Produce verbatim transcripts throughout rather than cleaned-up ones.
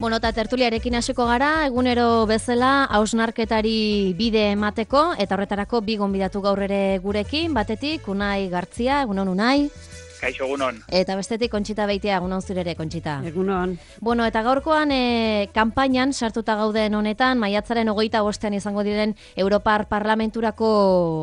Bueno, eta tertuliarekin hasiko gara, egunero bezala hausnarketari bide emateko, eta horretarako bi gonbidatu gaur ere gurekin, batetik Unai Gartzia, egunon Unai. Kaixo, egunon. Eta bestetik Kontxita Beitia, egunon zurere, Kontxita. Egunon. Bueno, eta gaurkoan e, kanpainan sartuta gauden honetan, maiatzaren hogeita bostean izango diren Europar Parlamenturako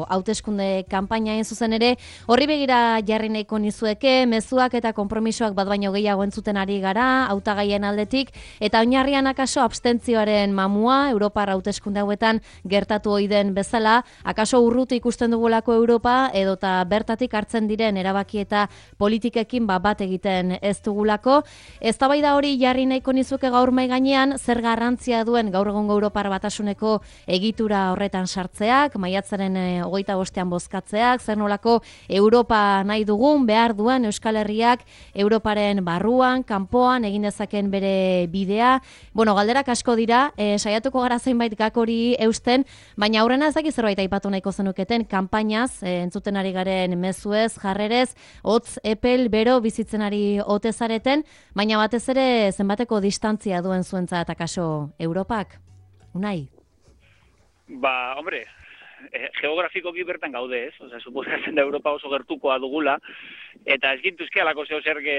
hauteskunde kanpainaen zuzen ere, horri begira jarri nahiko nizueke, mezuak eta konpromisoak bat baino gehiago entzuten ari gara, hautagaien aldetik, eta oinarrian akaso abstentzioaren mamua, Europar hauteskunde hauetan gertatu ohi den bezala, akaso urruti ikusten dugulako Europa, edota bertatik hartzen diren erabaki eta politikekin ba, bat egiten ez dugulako. Eztabaida hori jarri nahiko nizuke gaur mai gainean, zer garrantzia duen gaur egungo Europar Batasuneko egitura horretan sartzeak, maiatzaren e, hogeita bostean bozkatzeak, zer nolako Europa nahi dugun, behar duen Euskal Herriak Europaren barruan, kanpoan egin dezaken bere bidea. Bueno, galderak asko dira, e, saiatuko gara zenbait gak hori eusten, baina aurrena ez dakit zerbait aipatu nahiko zenuketen, kanpainaz, e, entzuten ari garen mezuez, jarrerez, hotz epel, bero, bizitzen ari ote zareten, baina batez ere zenbateko distantzia duen zuentzat akaso Europak? Unai? Ba, hombre, eh, geografikoki bertan gaude ez, osea, suposatzen da Europa oso gertukoa dugula, eta ez gintuzke alako zeo zerge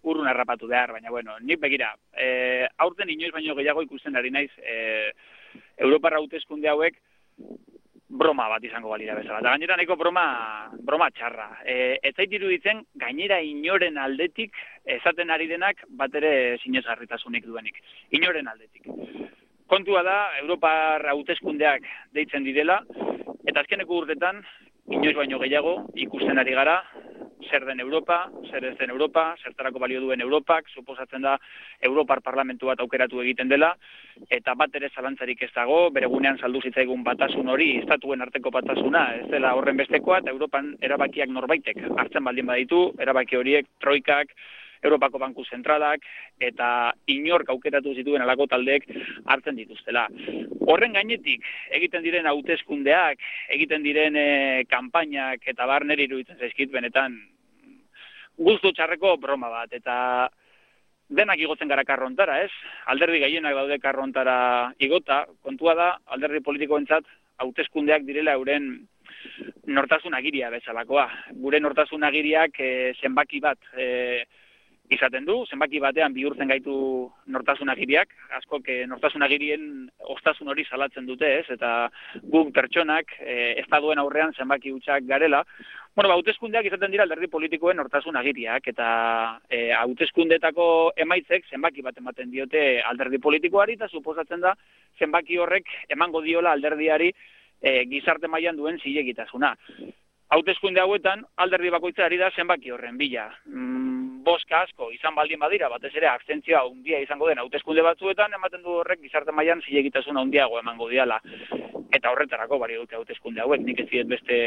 urrun harrapatu behar, baina bueno, nik begira, eh, aurten inoiz baino gehiago ikusten ari naiz, eh, Europar hauteskunde hauek broma bat izango balira bezala. Eta gainera nahiko broma, broma txarra. E, ez zait iruditzen, gainera inoren aldetik esaten ari denak bat ere sinesgarritasunik duenik. Inoren aldetik. Kontua da, Europar hauteskundeak deitzen direla, eta azkeneko urtetan, inoiz baino gehiago, ikusten ari gara, zer den Europa, zer ez den Europa, zertarako balio duen Europak, suposatzen da Europar Parlamentu bat aukeratu egiten dela, eta bat ere zalantzarik ez dago, bere gunean saldu zitzaigun batasun hori, estatuen arteko batasuna, ez dela horren bestekoa, eta Europan erabakiak norbaitek hartzen baldin baditu, erabaki horiek, troikak, Europako Banku Zentralak, eta inork aukeratu zituen alako taldeek hartzen dituztela. Horren gainetik, egiten diren hauteskundeak, egiten diren e, kanpainak, eta bar neri iruditzen zaizkit benetan guztu txarreko broma bat, eta denak igotzen gara karrontara, ez? Alderdi gehienak daude karrontara igota, kontua da, alderdi politikoentzat hauteskundeak direla euren nortasun agiria bezalakoa. Gure nortasun agiriak e, zenbaki bat e, izaten du, zenbaki batean bihurtzen gaitu nortasun agiriak, askok e, nortasun agirien ostasun hori salatzen dute, ez? Eta guk pertsonak e, estaduen aurrean zenbaki hutsak garela. Bueno, hauteskundeak izaten dira alderdi politikoen nortasun agiriak, eta e, hauteskundetako emaitzek zenbaki bat ematen diote alderdi politikoari, eta suposatzen da zenbaki horrek emango diola alderdiari e, gizarte mailan duen zilegitasuna. Hauteskunde hauetan alderdi bakoitza ari da zenbaki horren bila. Mm, boska asko izan baldin badira, batez ere abstentzioa handia izango den hauteskunde batzuetan, ematen du horrek gizarte mailan zilegitasuna handiago emango diala. Eta horretarako bari dute hauteskunde hauek, nik ez diet beste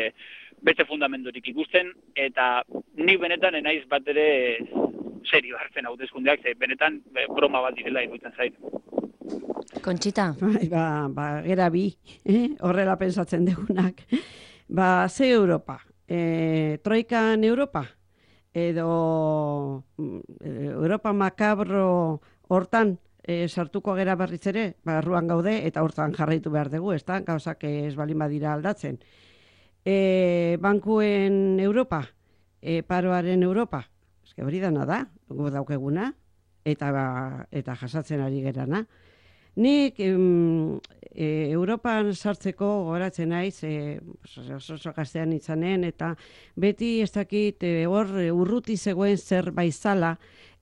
beste fundamenturik ikusten, eta nik benetan enaiz bat ere serio hartzen hauteskundeak, ze benetan broma bat direla iruditzen zait. Kontxita? Bai, ba, ba, gera bi, eh? Horrela pensatzen degunak. Ba, ze Europa? E, troikan Europa? Edo Europa makabro hortan e, sartuko gera berriz ere, barruan gaude, eta hortan jarraitu behar dugu, ez da? Gauzak ez balin badira aldatzen. E, bankuen Europa? E, paroaren Europa? Ez que hori dana da, gu daukeguna, eta, ba, eta jasatzen ari gerana. Nik em, e, Europan sartzeko gogoratzen naiz, e, oso oso gaztean itzanen, eta beti ez dakit e, hor urruti zegoen zer baizala,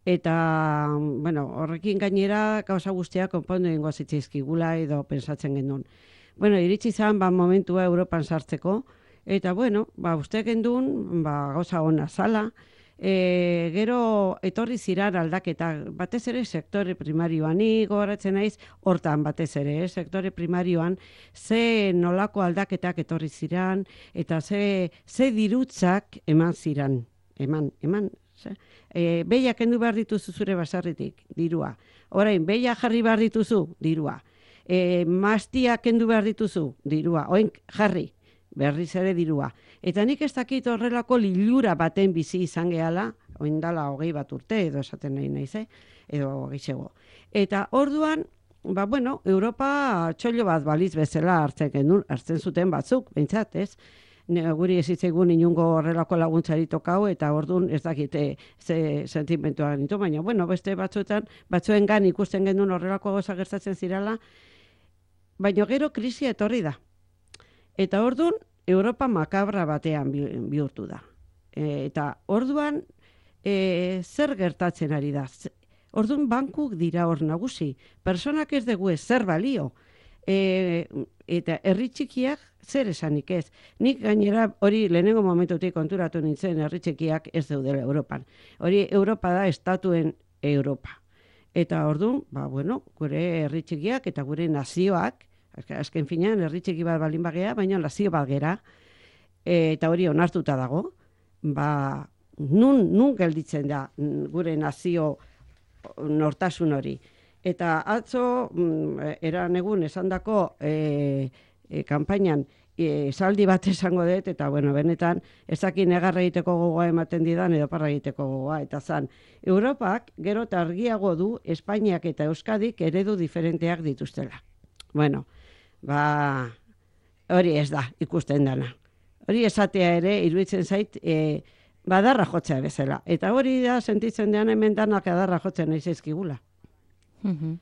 eta bueno, horrekin gainera gauza guztiak konpondu egingo zitzaizkigula edo pensatzen genuen. Bueno, iritsi zan ba, momentua Europan sartzeko, eta bueno, ba, uste gendun, ba, gauza ona zala, E, gero etorri zirar aldaketa, batez ere sektore primarioan, ni gogoratzen naiz hortan batez ere, eh? Sektore primarioan ze nolako aldaketak etorri ziran, eta ze, ze dirutzak eman ziran, eman, eman, ze? E, beia kendu behar dituzu zure basarritik, dirua. Orain, beia jarri behar dituzu, dirua. E, mastia kendu behar dituzu, dirua. Oin, jarri, berriz ere dirua. Eta nik ez dakit horrelako lilura baten bizi izan gehala, oindala hogei bat urte, edo esaten nahi naiz, eh? Edo gehiago. Eta orduan, ba, bueno, Europa txollo bat baliz bezala hartzen genuen, hartzen zuten batzuk, behintzat, ez? Guri ezitzaigun inungo horrelako laguntzari tokau, eta orduan ez dakite ze sentimentua genitu, baina, bueno, beste batzuetan, batzuen gan ikusten genuen horrelako gauza gertatzen zirala, baina gero krisia etorri da. Eta orduan, Europa makabra batean bihurtu da. E, eta orduan, e, zer gertatzen ari da? Orduan, bankuk dira hor nagusi. Personak ez dugu ez zer balio. E, eta herri txikiak zer esanik ez. Nik gainera hori lehenengo momentutik konturatu nintzen herri txikiak ez daudela Europan. Hori Europa da estatuen Europa. Eta orduan, ba, bueno, gure herri txikiak eta gure nazioak, azken finean herri txiki bat balin bagea, baina nazio bat gera, e, eta hori onartuta dago, ba, nun, nun gelditzen da gure nazio nortasun hori. Eta atzo, eran egun esandako e, e, kanpainan e, esaldi bat esango dut, eta bueno, benetan ezakin negarra egiteko gogoa ematen didan edo parra egiteko gogoa. Eta zan, Europak gero eta argiago du Espainiak eta Euskadik eredu diferenteak dituztela. Bueno, ba, hori ez da ikusten dana. Hori esatea ere, iruditzen zait, e, badarra jotzea bezala. Eta hori da, sentitzen dean hemen danak adarra jotzen nahi zaizkigula. Mm-hmm.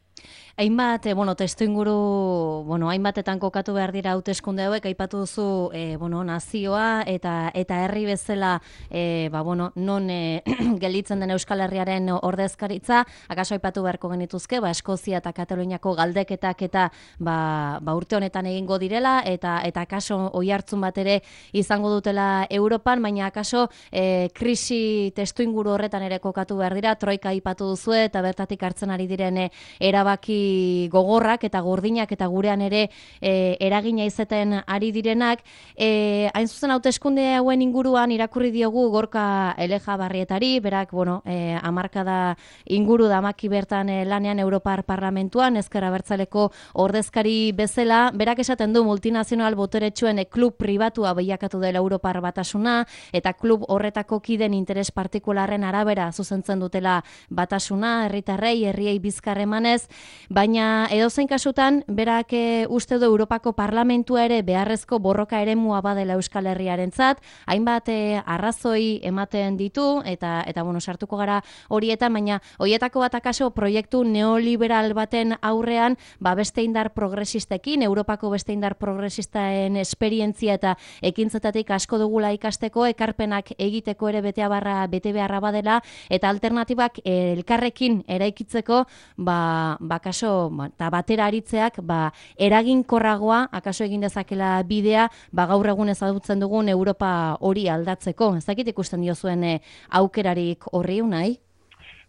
Hainbat, e, bueno, testu inguru, bueno, hainbatetan kokatu behar dira hauteskunde hauek, aipatu duzu, e, bueno, nazioa eta eta herri bezala, e, ba, bueno, non e, gelditzen den Euskal Herriaren ordezkaritza, akaso aipatu beharko genituzke, ba, Eskozia eta Kataluniako galdeketak eta ba, ba urte honetan egingo direla, eta eta akaso oihartzun bat ere izango dutela Europan, baina akaso e, krisi testu inguru horretan ere kokatu behar dira, troika aipatu duzu eta bertatik hartzen ari diren e, erabaki gogorrak eta gordinak eta gurean ere e, eragina izeten ari direnak. E, hain zuzen hauteskunde hauen inguruan irakurri diogu Gorka Elejabarrietari, berak, bueno, e, hamarkada inguru damaki bertan e, lanean Europar Parlamentuan, Ezker Abertzaleko ordezkari bezala, berak esaten du multinazional boteretsuen e, klub pribatua bilakatu dela Europar Batasuna, eta klub horretako kiden interes partikularren arabera zuzentzen dutela batasuna, herritarrei, herriei bizkar emanez, baina edozein kasutan, berak e, uste du Europako Parlamentua ere beharrezko borroka eremua badela Euskal Herriarentzat, hainbat e, arrazoi ematen ditu, eta eta bueno, sartuko gara horietan, baina horietako bat akaso proiektu neoliberal baten aurrean, ba beste indar progresistekin, Europako beste indar progresistaen esperientzia eta ekintzetatik asko dugula ikasteko, ekarpenak egiteko ere betea barra, bete beharra badela, eta alternatibak e, elkarrekin eraikitzeko, ba, ba kaso, eta batera aritzeak, ba, eraginkorragoa, akaso egin dezakela bidea, ba, gaur egun ezagutzen dugun Europa hori aldatzeko. Ez dakit ikusten diozuen e, aukerarik horri unai?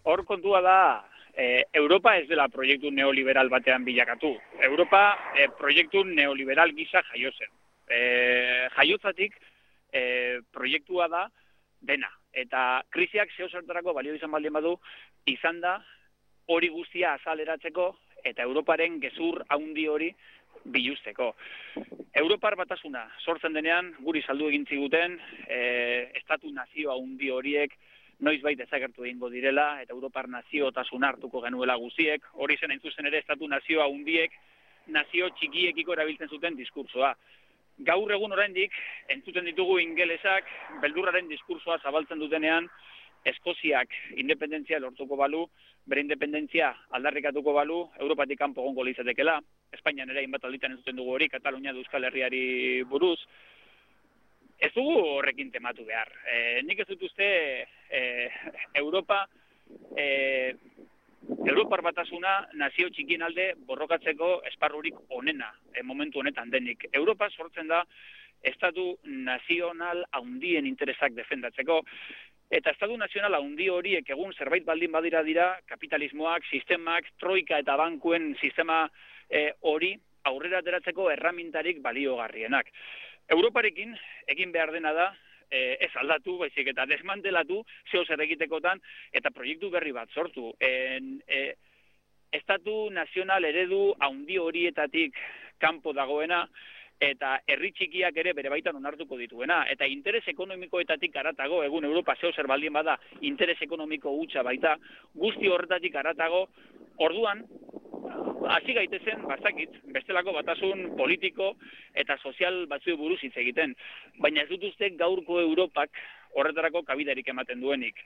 Hor kontua da, e, Europa ez dela proiektu neoliberal batean bilakatu. Europa e, proiektu neoliberal gisa jaio zen. E, jaiotzatik e, proiektua da dena. Eta krisiak zeo zertarako balio izan baldin badu, izan da hori guztia azaleratzeko eta Europaren gezur haundi hori biluzteko. Europar Batasuna sortzen denean, guri saldu egin ziguten, e, estatu nazio haundi horiek noizbait desagertu egingo direla, eta Europar naziotasuna hartuko genuela guziek, hori zen hain zuzen ere estatu nazio haundiek, nazio txikiekiko erabiltzen zuten diskursoa. Gaur egun oraindik entzuten ditugu ingelesak, beldurraren diskursoa zabaltzen dutenean, Eskoziak independentzia lortuko balu, bere independentzia aldarrikatuko balu, Europatik kanpo egongo litzatekeela, Espainian ere hainbat alditan entzuten dugu hori, Katalunia da Euskal Herriari buruz. Ez dugu horrekin tematu behar. E, nik ez dut uste e, Europa, e, Europar Batasuna nazio txikien alde borrokatzeko esparrurik onena, e, momentu honetan denik. Europa sortzen da estatu nazional handien interesak defendatzeko, eta estatu nazional handi horiek egun zerbait baldin badira dira, kapitalismoak, sistemak, troika eta bankuen sistema e, hori aurrera ateratzeko erramintarik baliogarrienak. Europarekin egin behar dena da, e, ez aldatu, baizik eta desmantelatu, zeo zer egitekotan, eta proiektu berri bat sortu. En, e, estatu nazional eredu handi horietatik kanpo dagoena, eta herri txikiak ere bere baitan onartuko dituena, eta interes ekonomikoetatik aratago, egun Europa zeo zer baldin bada, interes ekonomiko hutsa baita, guzti horretatik aratago, orduan, hasi gaitezen, bazakit, bestelako batasun politiko eta sozial batzu buruz hitz egiten, baina ez dut uste gaurko Europak horretarako kabidarik ematen duenik.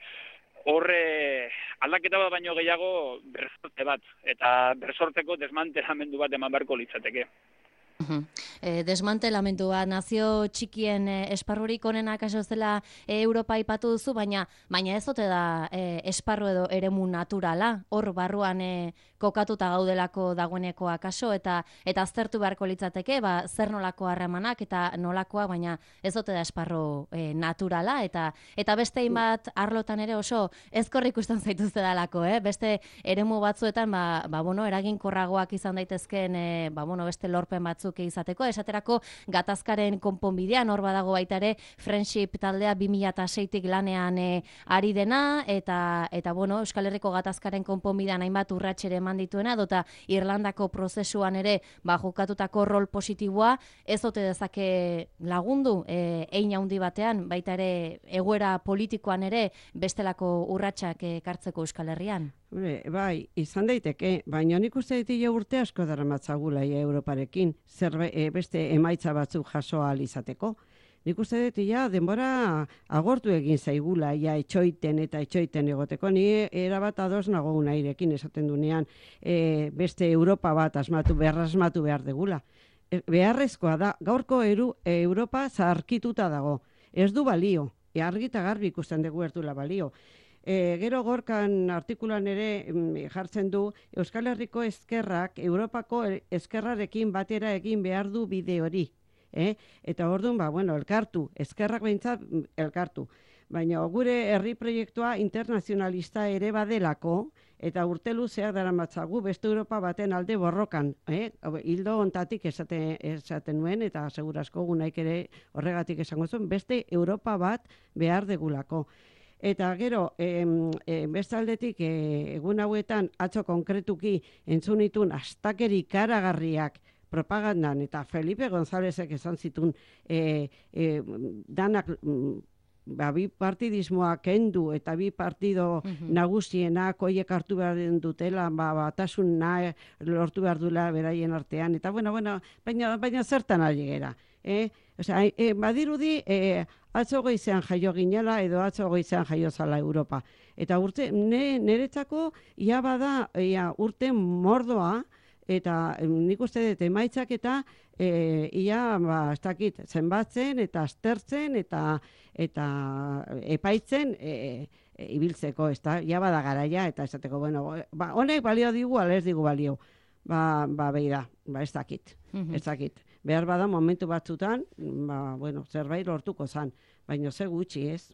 Horre aldaketa bat baino gehiago bersorte bat, eta bersorteko desmantelamendu bat eman beharko litzateke. E, desmantelamendua nazio txikien e, esparrurik onenak aso zela e, Europa aipatu duzu, baina baina ez ote da e, esparru edo eremu naturala, hor barruan e, kokatuta gaudelako dagoeneko akaso, eta eta aztertu beharko litzateke, ba, zer nolako harremanak eta nolakoa, baina ez ote da esparru e, naturala, eta eta beste bat arlotan ere oso ezkor ikusten zaituzte dalako, eh? Beste eremu batzuetan, ba, ba, bueno, eraginkorragoak izan daitezkeen, e, ba, bueno, beste lorpen batzuk izateko, esaterako gatazkaren konponbidean hor badago baita ere Friendship taldea bi mila seitik lanean e, ari dena, eta eta bueno, Euskal Herriko gatazkaren konponbidean hainbat urratsere eman dituena, dota Irlandako prozesuan ere ba jokatutako rol positiboa, ez ote dezake lagundu e, hein handi batean, baita ere egoera politikoan ere bestelako urratsak ekartzeko Euskal Herrian. Bai, izan daiteke, baina nik uste ditile urte asko daramatzagula Europarekin, zer e, beste emaitza batzuk jaso ahal izateko. Nik uste dut, ja, denbora agortu egin zaigula, ja, etxoiten eta etxoiten egoteko. Ni erabat ados nago unairekin esaten dunean e, beste Europa bat asmatu, behar asmatu behar degula. E, beharrezkoa da, gaurko eru, e, Europa zaharkituta dago. Ez du balio, e, argita garbi ikusten dugu ez dula balio. E, gero gorkan artikulan ere mm, jartzen du Euskal Herriko ezkerrak Europako ezkerrarekin batera egin behar du bide hori. Eh? Eta orduan, ba, bueno, elkartu, ezkerrak behintzat elkartu. Baina gure herri proiektua internazionalista ere badelako, eta urte luzeak daramatzagu beste Europa baten alde borrokan. Eh? Hildo ontatik esaten, esaten nuen, eta segurazko gunaik ere horregatik esango zuen, beste Europa bat behar degulako. Eta gero, e, e, beste aldetik, e, egun hauetan, atzo konkretuki entzunitun astakeri karagarriak propagandan, eta Felipe Gonzálezek esan zitun e, e, danak ba, bi partidismoa kendu eta bi partido mm-hmm. nagusienak oiek hartu behar dutela, ba, batasun nahi lortu behar dula beraien artean, eta bueno, bueno, baina, baina zertan ari gera. Eh? Osea, e, badirudi e, atzo goizean jaio ginela edo atzo goizean jaio zala Europa. Eta urte, ne, niretzako ia bada ia, urte mordoa, eta nik uste dut emaitzak eta e, ia ba, ez dakit, zenbatzen eta aztertzen eta, eta epaitzen e, e, ibiltzeko, ez da, ia bada garaia eta esateko, bueno, ba, honek balio digu, ala ez digu balio. Ba, ba, beira, ba, ez dakit, mm-hmm. ez dakit. Behar bada momentu batzutan, ba, bueno, zerbait lortuko zan, baina ze gutxi ez.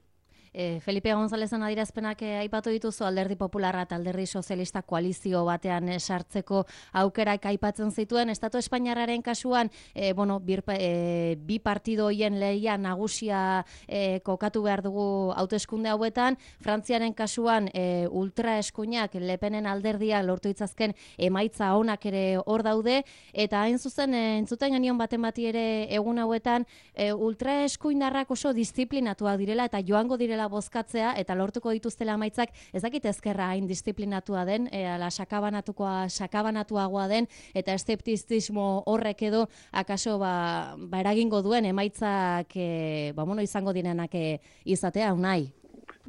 E, Felipe Gonzalezen adirazpenak e, aipatu dituzu Alderdi Popularra eta Alderdi Sozialista koalizio batean e, sartzeko aukerak aipatzen zituen. Estatu Espainiarraren kasuan, e, bueno, bir, e, bi partido hoien lehia nagusia e, kokatu behar dugu hauteskunde hauetan. Frantziaren kasuan e, ultraeskuinak Le Penen alderdia lortu itzazken emaitza onak ere hor daude, eta hain zuzen e, entzuten genion baten bati ere egun hauetan e, ultraeskuindarrak oso disiplinatuak direla eta joango direla bozkatzea eta lortuko dituztela amaitzak, ez dakit ezkerra hain disiplinatua den, e, ala sakabanatukoa, sakabanatuagoa den, eta eszeptizismo horrek edo akaso ba, ba eragingo duen emaitzak e, ba, bueno, izango direnak e, izatea, unai.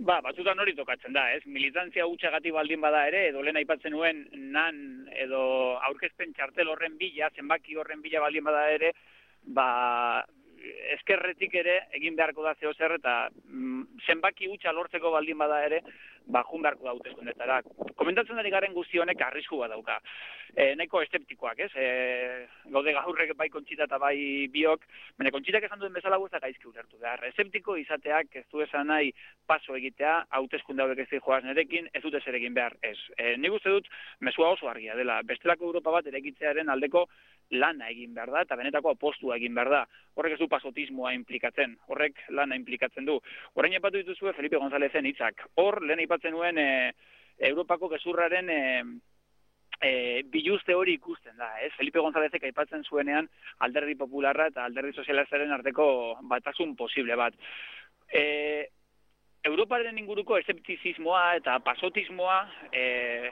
Ba, batzutan hori tokatzen da, ez? Militantzia hutxagatik baldin bada ere, edo lehen aipatzen nuen nan edo aurkezpen txartel horren bila, zenbaki horren bila baldin bada ere, ba, eskerretik ere egin beharko da zeo zer eta mm, zenbaki hutsa lortzeko baldin bada ere, ba, jun beharko da hauteskundetara. Komentatzen ari garen guzti honek arrisku bat dauka. E, nahiko eszeptikoak, ez? E, gaude gaurrek bai Kontxita eta bai biok, baina Kontxitak esan duen bezala guztak gaizki ulertu behar. Eszeptiko izateak ez du esan nahi paso egitea, hauteskunde hauek ez joaz nerekin, ez dute zer egin behar, ez. E, nik uste dut, mesua oso argia dela, bestelako Europa bat erekitzearen aldeko lana egin behar da, eta benetako apostua egin behar da. Horrek ez du pasotismoa implikatzen, horrek lana implikatzen du. Orain aipatu dituzue Felipe Gonzalezen hitzak. Hor, lehen aipatzen nuen e, Europako gezurraren e, e, biluzte hori ikusten da, ez? Felipe Gonzálezek aipatzen zuenean alderdi popularra eta alderdi sozialistaren arteko batasun posible bat. E, Europaren inguruko eszeptizismoa eta pasotismoa e,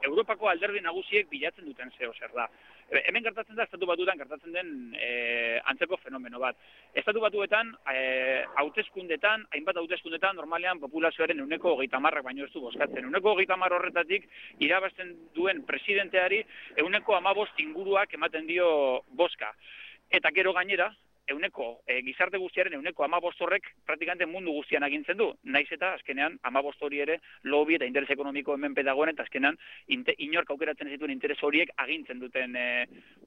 Europako alderdi nagusiek bilatzen duten zeo zer da. Hemen gertatzen da, estatu batuetan gertatzen den e, antzeko fenomeno bat. Estatu batuetan, e, hauteskundetan, hainbat hauteskundetan, normalean populazioaren euneko hogeita hamarrak baino ez du bozkatzen. Euneko hogeita hamar horretatik, irabazten duen presidenteari euneko hamabost inguruak ematen dio bozka. Eta gero gainera, euneko, e, gizarte guztiaren euneko hamabost horrek praktikante mundu guztian agintzen du. Naiz eta azkenean hamabost hori ere lobby eta interes ekonomiko hemen pedagoen eta azkenean inte, inork aukeratzen zituen interes horiek agintzen duten e,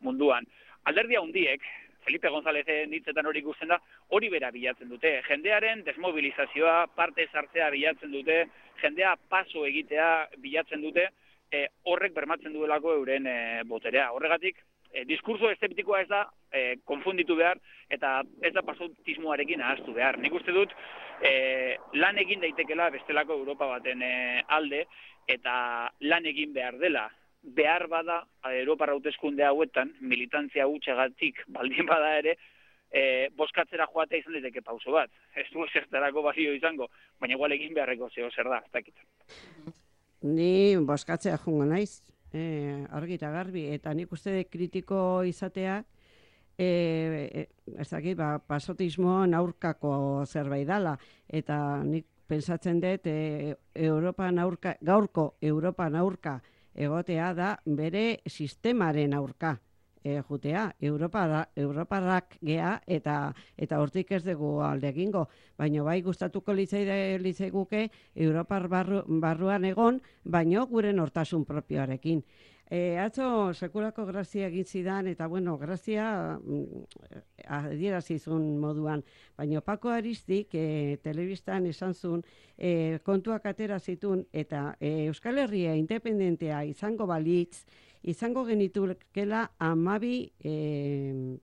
munduan. Alderdi handiek, Felipe Gonzálezen hitzetan hori ikusten da, hori bera bilatzen dute. Jendearen desmobilizazioa, parte sartzea bilatzen dute, jendea paso egitea bilatzen dute, e, horrek bermatzen duelako euren e, boterea. Horregatik, E, diskurso eszeptikoa ez da e, konfunditu behar eta ez da pasotismoarekin ahaztu behar. Nik uste dut e, lan egin daitekela bestelako Europa baten e, alde eta lan egin behar dela. Behar bada Europar hauteskunde hauetan militantzia hutsagatik baldin bada ere e, bozkatzera joatea izan daiteke pauso bat. Ez du ezertarako balio izango, baina igual egin beharreko zeo zer da, ez dakit. Ni bozkatzea joango naiz. E, argi eta garbi, eta nik uste de kritiko izatea e, e, ez dakit, ba, pasotismo aurkako zerbait dala, eta nik pensatzen dut e, Europan aurka, gaurko Europan aurka egotea da bere sistemaren aurka e, jutea, Europara, Europarrak gea eta eta hortik ez dugu alde egingo, baina bai gustatuko litzaiguke Europar barru, barruan egon, baino gure nortasun propioarekin. E, atzo sekulako grazia egin zidan, eta bueno, grazia adierazizun moduan, baina Paco Aristik e, telebistan esan zuen e, kontuak atera zitun, eta e, Euskal Herria independentea izango balitz, izango genitukela amabi e,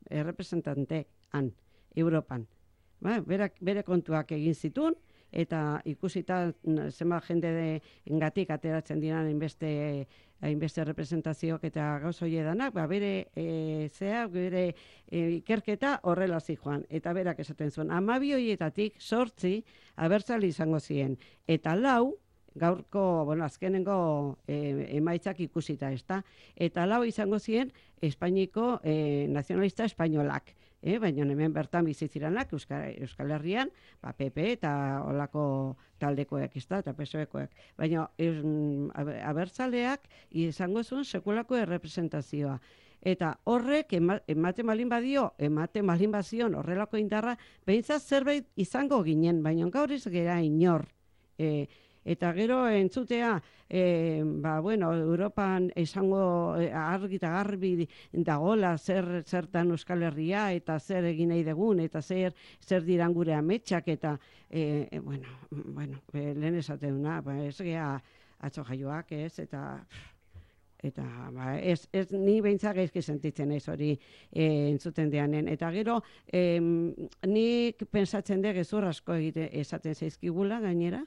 errepresentante han, Europan. Ba, bere, bere kontuak egin zitun, eta ikusita zenbat jende engatik ateratzen diran hainbeste hainbeste representazioak eta gauz hori edanak, ba, bere e, zea, bere e, ikerketa horrela zijoan. Eta berak esaten zuen, amabi horietatik sortzi abertzale izango ziren. Eta lau, gaurko, bueno, azkenengo e, emaitzak ikusita, ezta? Eta lau izango ziren Espainiko e, nazionalista espainolak. E, baina hemen bertan bizitziranak Euskal, Euskal Herrian, ba, P P eta olako taldekoek, ezta, eta P S O-ekoek. Baina es, abertzaleak izango zuen sekulako errepresentazioa. Eta horrek ematen malin badio, ematen malin bazion horrelako indarra, behintzat zerbait izango ginen, baina gaur ez gera inor. E, Eta gero entzutea, e, ba, bueno, Europan esango e, argi eta garbi dagola zer zertan Euskal Herria eta zer egin nahi dugun eta zer zer diran gure ametsak eta e, e, bueno, bueno, e, lehen esateuna, ba, ez gea atzo jaioak, ez, eta eta ba, ez, ez ni behintzak gaizki sentitzen naiz hori e, entzuten deanen. Eta gero, em, nik pensatzen de gezur asko egite esaten zaizkigula gainera,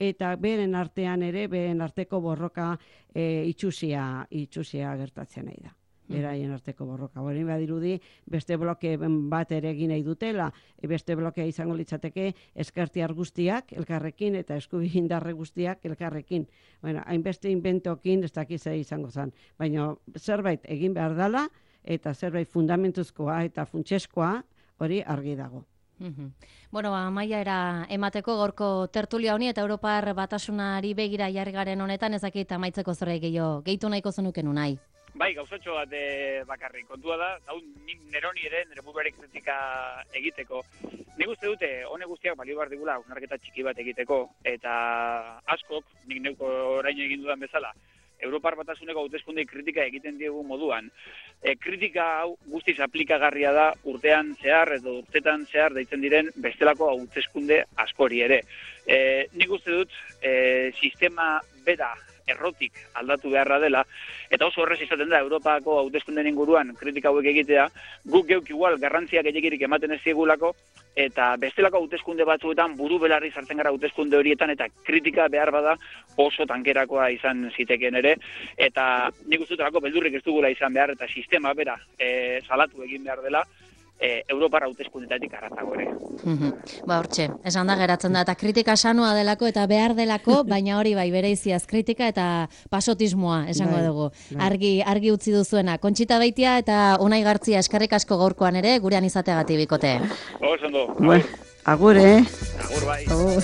eta beren artean ere, beren arteko borroka e, itxusia, itxusia gertatzen nahi da. Beraien arteko borroka. Hori badirudi, beste bloke bat ere egin nahi dutela, beste blokea izango litzateke eskertiar guztiak elkarrekin eta eskubihindarre guztiak elkarrekin. Bueno, hainbeste inventokin ez dakiz izango zen. Baina zerbait egin behar dela eta zerbait fundamentuzkoa eta funtseskoa hori argi dago. Mm-hmm. Bueno, amaia era emateko gorko tertulia honi eta Europar batasunari begira jarri garen honetan ez dakit amaitzeko zerbait gehiago gehitu nahiko zenuken unai. Bai, gauzatxo bat e, bakarrik. Kontua da, hau nik neroni ere, nire buruari kritika egiteko. Nik uste dute, hone guztiak balio behar digula, hausnarketa txiki bat egiteko, eta askok, nik neuko orain egin dudan bezala, Europar batasuneko hauteskunde kritika egiten diegu moduan. E, kritika hau guztiz aplikagarria da urtean zehar edo urtetan zehar deitzen diren bestelako hauteskunde askori ere. E, nik uste dut, e, sistema bera errotik aldatu beharra dela, eta oso horrez izaten da Europako hauteskunden inguruan kritika hauek egitea, guk geuk igual garrantzia gehiegirik ematen ez diegulako, eta bestelako hauteskunde batzuetan buru belarri sartzen gara hauteskunde horietan, eta kritika behar bada oso tankerakoa izan zitekeen ere, eta nik uste dut beldurrik ez dugula izan behar, eta sistema bera e, salatu egin behar dela, E, Europar hauteskundetatik arratago ere. Ba, hortxe, esan da geratzen da, eta kritika sanua delako eta behar delako, baina hori bai, bereiziaz kritika eta pasotismoa, esango bai, dugu. Bai. Argi, argi utzi duzuena. Kontxita Beitia eta Unai Gartzia eskerrik asko gaurkoan ere, gurean izateagatik bikote. Oso ondo, Bueno, agur. agur, eh? Agur bai. Agur.